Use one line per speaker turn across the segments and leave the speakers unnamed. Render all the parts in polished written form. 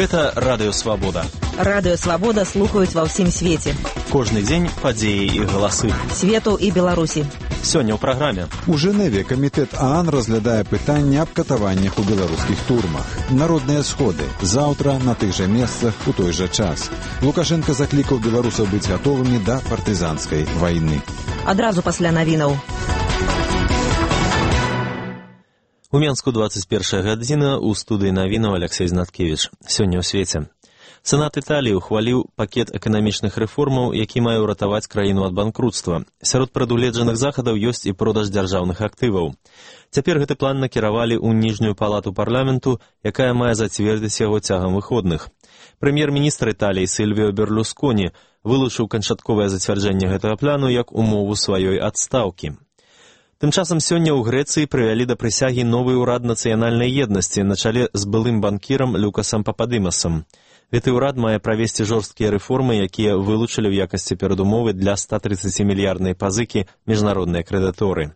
Гэта Радыё Свабода.
Радыё Свабода слухаюць ва ўсім свеце.
Кожны дзень падзеі і галасы.
Свету і Беларусі.
Сёння ў праграме.
У Жэневе камітэт ААН разглядае пытанне аб катаваннях у беларускіх турмах. Народныя сходы. Заўтра на тых жа месцах у той жа час. Лукашенко заклікаў беларусаў быць гатовымі да партызанскай вайны.
Адразу пасля навінаў.
У Менску 21 гадзіна, у студыі навінаў Алексей Знаткевіч. Сёння ў свеце. Сенат Італіі ухваліў пакет эканамічных рэформаў, які мае ўратаваць краіну ад банкрутства. Сярод прадугледжаных захадаў ёсць і продаж дзяржаўных актываў. Цяпер гэты план накіравалі ў ніжнюю палату парламенту, якая мае зацвердзіць яго цягам выходных. Прэм'ер-міністр Італіі Сільвіо Берлусконі вылучыў канчатковае зацвярджэнне гэтага плану як умову сваёй адстаўкі. Тым часам сёння ў Грэцыі прывялі да прысягі новы ўрад нацыянальнай еднасці на чале з былым банкірам Люкасам Пападымасам. Гэты ўрад мае правесці жорсткія рэформы, якія вылучылі ў якасці перадумовы для 130-мільярднай пазыкі міжнародныя крэдыторы.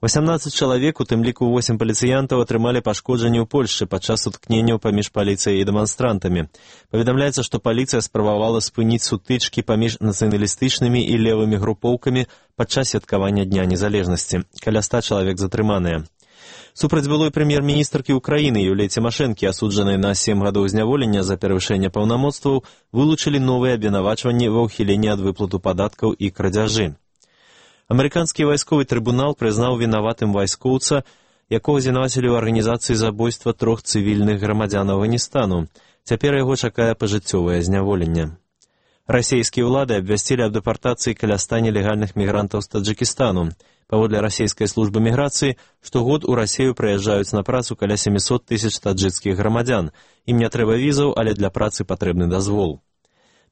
18 чалавек, у тым ліку 8 паліцыянтаў, атрымалі пашкоджанні ў Польшчы падчас сутыкненняў паміж паліцыяй і дэманстрантамі. Паведамляецца, што паліцыя спрабавала спыніць сутычкі паміж нацыяналістычнымі і левымі групоўкамі падчас святкавання Дня незалежнасці. Каля 100 чалавек затрыманыя. Супраць былой прэм'ер-міністркі Украіны Юліі Цімашэнкі, асуджанай на 7 гадоў зняволення за перавышэнне паўнамоцтваў, вылучылі новыя абвінавачванні ва ўхіленні ад выплату падаткаў і крадзяжы. Амерыканскі вайсковы трыбунал прызнаў вінаватым вайскоўца, якога звінавацілі ў арганізацыі забойства 3 цывільных грамадзян Афганістану. Цяпер яго чакае пажыццёвае зняволенне. Расійскія ўлады абвясцілі аб дэпартацыі каля 100 нелегальных мігрантаў з Таджыкістану. Паводле расійскай службы міграцыі, штогод у Расію прыязджаюць на працу каля 700 тысяч таджыкскіх грамадзян. Ім не трэба візаў, але для працы патрэбны дазвол.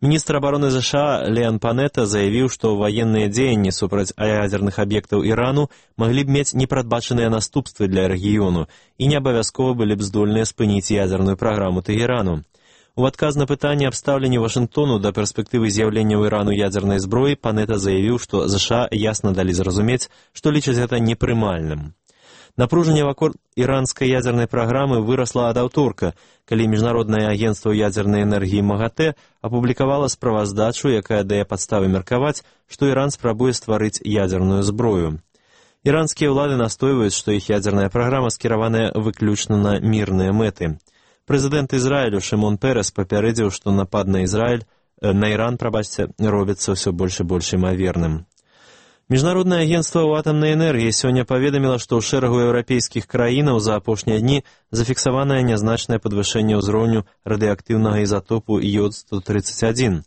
Міністр абароны ЗША Леон Панета заявіў, што ваенныя дзеянні супраць ядзерных аб'ектаў Ірану маглі б мець непрадбачаныя наступствы для рэгіёну і не абавязкова былі б здольныя спыніць ядзерную праграму Тэгэрану. У адказ на пытанне аб стаўленні Вашынгтону да перспектывы з'яўлення ў Ірану ядзернай зброі Панета заявіў, што ЗША ясна далі зразумець, што лічаць гэта непрымальным. Напружанне вакол іранскай ядзернай праграмы вырасла ад аўторка, калі Міжнароднае агенцтва ядзернай энергіі МАГАТЭ апублікавала справаздачу, якая дае падставы меркаваць, што Іран спрабуе стварыць ядзерную зброю. Іранскія ўлады настойваюць, што іх ядзерная праграма скіраваная выключна на мірныя мэты. Прэзідэнт Ізраілю Шымон Перес папярэдзіў, што напад на Іран робіцца ўсё больш і больш імаверным. Міжнароднае агенцтва ў атамнай энергіі сёння паведаміла, што ў шэрагу еўрапейскіх краінаў за апошнія дні зафіксаванае нязначнае падвышэнне ўзроўню радыеактыўнага ізатопу йод-131.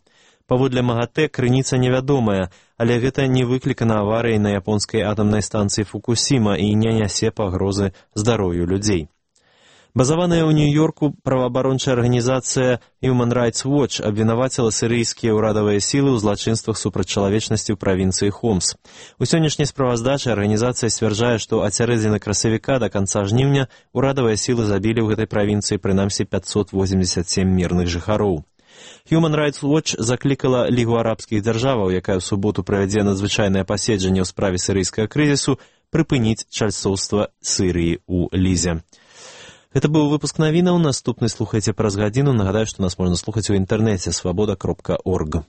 Паводле МАГАТЭ крыніца невядомая, але гэта не выклікана аварыяй на японскай атамнай станцыі Фукусіма і не нясе пагрозы здароўю людзей. Базаваная ў Нью-Йорку праваабарончая арганізацыя Human Rights Watch абвінаваціла сірыйскія ўрадавыя сілы ў злачынствах супраць чалавечнасці ў правінцыі Хомс. У сённяшняй справаздачы арганізацыя сцвярджае, што ад сярэдзіны красавіка да канца жніўня ўрадавыя сілы забілі ў гэтай правінцыі прынамсі 587 мірных жыхароў. Human Rights Watch заклікала Лігу арабскіх дзяржаваў, якая ў суботу правядзе надзвычайнае паседжанне ў справе сірыйскага крызісу, прыпыніць чальцоўства Сірыі ў Лізе. Гэта быў выпуск навінаў, наступны слухайце праз гадзіну. Нагадаю, што нас можна слухаць у інтэрнэце свабода.орг.